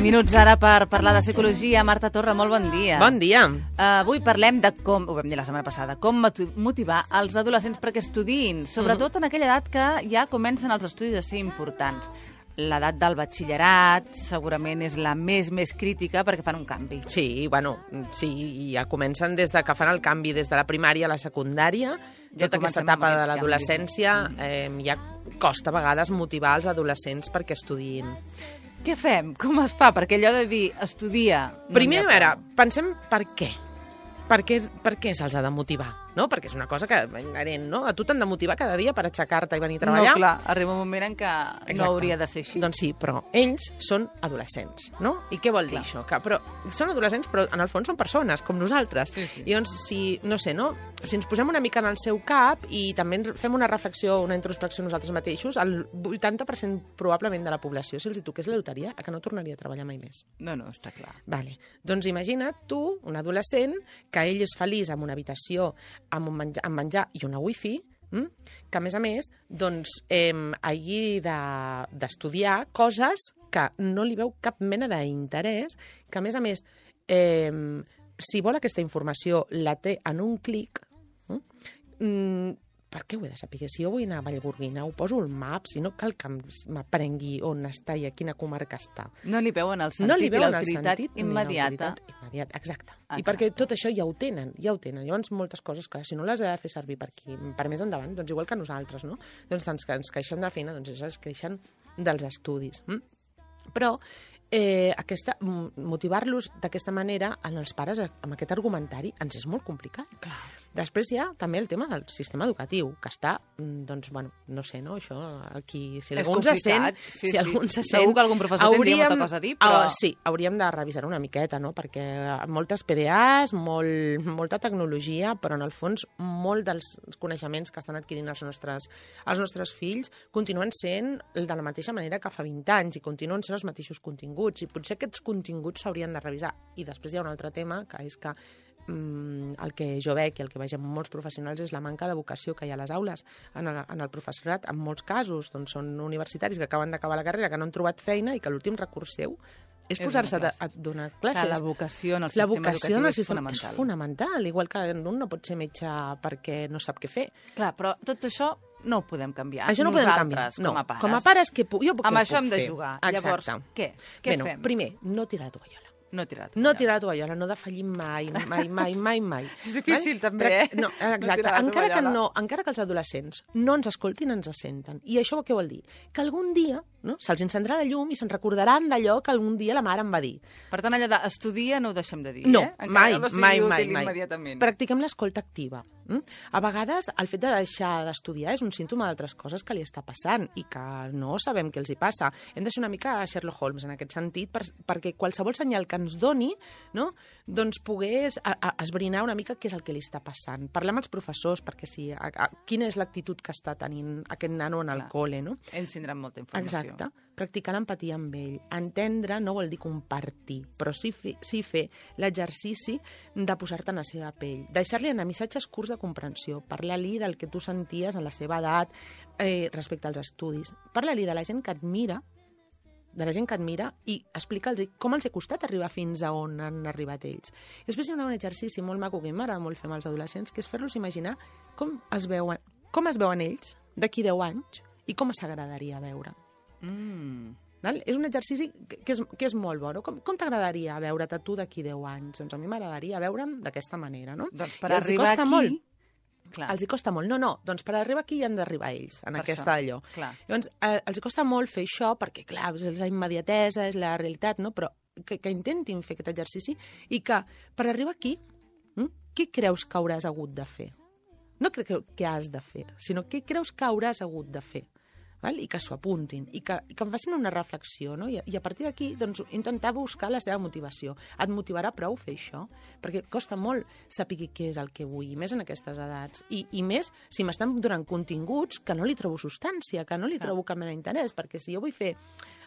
Minuts ara per parlar de psicologia. Marta Torra, molt bon dia. Bon dia. Avui parlem de com, ho vam dir la setmana passada, com motivar els adolescents perquè estudiïn, sobretot en aquella edat que ja comencen els estudis a ser importants. L'edat del batxillerat segurament és la més crítica perquè fan un canvi. Sí, ja comencen des de que fan el canvi, des de la primària a la secundària, tota aquesta etapa de l'adolescència, ja costa a vegades motivar els adolescents perquè estudiïn. Què fem? Com es fa? Perquè allò de dir estudia... Primer, a veure, pensem per què. Per què se'ls ha de motivar? No? Perquè és una cosa que inherent, no? A tu t'han de motivar cada dia per aixecar-te i venir a treballar. No, clar, arriba un moment en què no hauria de ser així. Doncs sí, però ells són adolescents, no? I què vol dir això? Però són adolescents, però en el fons són persones, com nosaltres. Sí. I doncs, si ens posem una mica en el seu cap i també fem una reflexió, una introspecció nosaltres mateixos, el 80% probablement de la població, si els hi toqués la loteria, que no tornaria a treballar mai més. No, està clar. Vale. Doncs imagina't tu, un adolescent, que ell és feliç amb una habitació, amb menjar i una wifi, que a més, doncs, hagi d'estudiar coses que no li veu cap mena d'interès, que a més, si vol aquesta informació la té en un clic, per què ho he de saber? Si jo vull anar a Vallgorguina, ho poso al map, si no cal que m'aprengui on està i a quina comarca està. No li veuen el sentit i l'autoritat immediata. Exacte. I perquè tot això ja ho tenen. Llavors, moltes coses, clar, si no les he de fer servir per més endavant, doncs igual que nosaltres, no? Doncs ens queixem de la feina, doncs ells es queixen dels estudis. Però motivar-los d'aquesta manera en els pares amb aquest argumentari ens és molt complicat. Clar. Després hi ha també el tema del sistema educatiu, que està, doncs, no sé, no? Això, aquí, si algú se sent... Segur que algun professor tindria molta cosa a dir, però... Sí, hauríem de revisar una miqueta, no? Perquè moltes PDAs, molta tecnologia, però en el fons molt dels coneixements que estan adquirint els nostres fills continuen sent de la mateixa manera que fa 20 anys i continuen sent els mateixos continguts, i potser aquests continguts s'haurien de revisar. I després hi ha un altre tema, que és que el que jo veig i el que veig en molts professionals és la manca de vocació que hi ha a les aules en el professorat. En molts casos doncs, són universitaris que acaben d'acabar la carrera, que no han trobat feina i que l'últim recurs seu és posar-se a donar classes. La vocació en el sistema educatiu és fonamental. Igual que un no pot ser metge perquè no sap què fer. Clar, però tot això no ho podem canviar. Això no ho podem canviar. Com a pares. Com a pares, jo puc fer. Amb això hem de jugar. Llavors, què? Què fem? Primer, no tirar la tovallola. No tirar la tovallola, no defallir mai. És difícil, també, No, exacte. Encara que els adolescents no ens escoltin, ens senten. I això què vol dir? Que algun dia se'ls encendrà la llum i se'n recordaran d'allò que algun dia la mare em va dir. Per tant, allò d'estudia no ho deixem de dir, no, mai. Mai. Practiquem l'escolta activa. A vegades, el fet de deixar d'estudiar és un símptoma d'altres coses que li està passant i que no sabem què els hi passa. Hem de ser una mica Sherlock Holmes en aquest sentit perquè qualsevol senyal que ens doni, no, doncs pogués esbrinar una mica què és el que li està passant. Parlar amb els professors perquè sí, quina és l'actitud que està tenint aquest nano en el col·le. No? Ells tindran molta informació. Exacte. Practicar l'empatia amb ell. Entendre no vol dir compartir, però sí fer l'exercici de posar-te en la seva pell. Deixar-li anar missatges curts de comprensió. Parlar-li del que tu senties en la seva edat respecte als estudis. Parlar-li de la gent que admira, i explica'ls com els ha costat arribar fins a on han arribat ells. I després hi ha un exercici molt maco que m'agrada molt fer amb els adolescents, que és fer-los imaginar com es veuen ells d'aquí 10 anys i com s'agradaria veure. És un exercici que és molt bo. No? Com t'agradaria veure't a tu d'aquí 10 anys? Doncs a mi m'agradaria veure'm d'aquesta manera. No? Doncs per arribar aquí... Els hi costa molt. No, doncs per arribar aquí hi han d'arribar ells, en aquesta allò. Llavors, els hi costa molt fer això perquè, clar, és la immediatesa, és la realitat, no? Però que intentin fer aquest exercici i que per arribar aquí, què creus que hauràs hagut de fer? No què has de fer, sinó què creus que hauràs hagut de fer. I que s'ho apuntin, i que em facin una reflexió, no? I a partir d'aquí doncs, intentar buscar la seva motivació. Et motivarà prou fer això? Perquè costa molt saber què és el que vull, més en aquestes edats. I més si m'estan donant continguts que no li trobo substància, que no li trobo cap mena d'interès, perquè si jo vull fer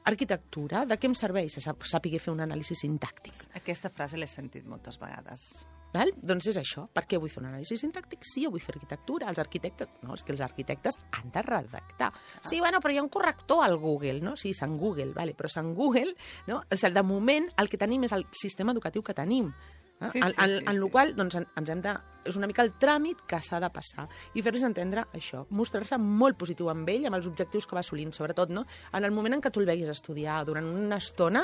Arquitectura, de què em serveix saber fer un anàlisi sintàctic? Aquesta frase l'he sentit moltes vegades. Val? Doncs és això. Per què vull fer un anàlisi sintàctic? Sí, jo vull fer arquitectura. Els arquitectes... No, és que els arquitectes han de redactar. Sí, bueno, però hi ha un corrector al Google, no? Sí, Sant Google, vale, però Sant Google, no? O sigui, de moment, el que tenim és el sistema educatiu que tenim. Sí. En el qual doncs, ens hem de... És una mica el tràmit que s'ha de passar i fer-los entendre això, mostrar-se molt positiu amb ell, amb els objectius que va assolint, sobretot, no? En el moment en què tu el veguis estudiar durant una estona,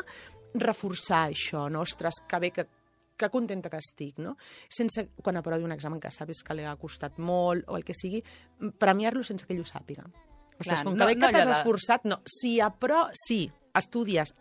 reforçar això, no? Ostres, que bé, que contenta que estic, no? Sense, quan aprovi un examen que sabis que li ha costat molt o el que sigui, premiar-lo sense que ell ho sàpiga. Ostres, com que bé que t'has esforçat, no. Sí, estudies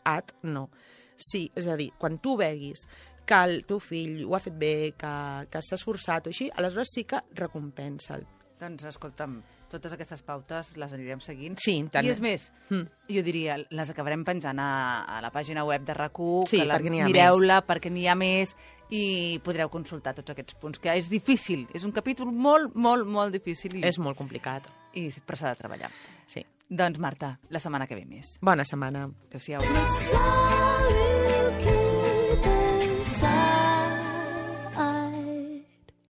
no. Sí, és a dir, quan tu veguis que el teu fill ho ha fet bé, que s'ha esforçat o així, aleshores sí que recompensa'l. Doncs, escolta'm, totes aquestes pautes les anirem seguint. Sí, tant. I és més, jo diria, les acabarem penjant a la pàgina web de RAC1, sí, que mireu-la perquè n'hi ha més i podreu consultar tots aquests punts, que és difícil, és un capítol molt, molt, molt difícil. És molt complicat. Però s'ha de treballar. Sí. Doncs, Marta, la setmana que ve més. Bona setmana. Adéu-siau.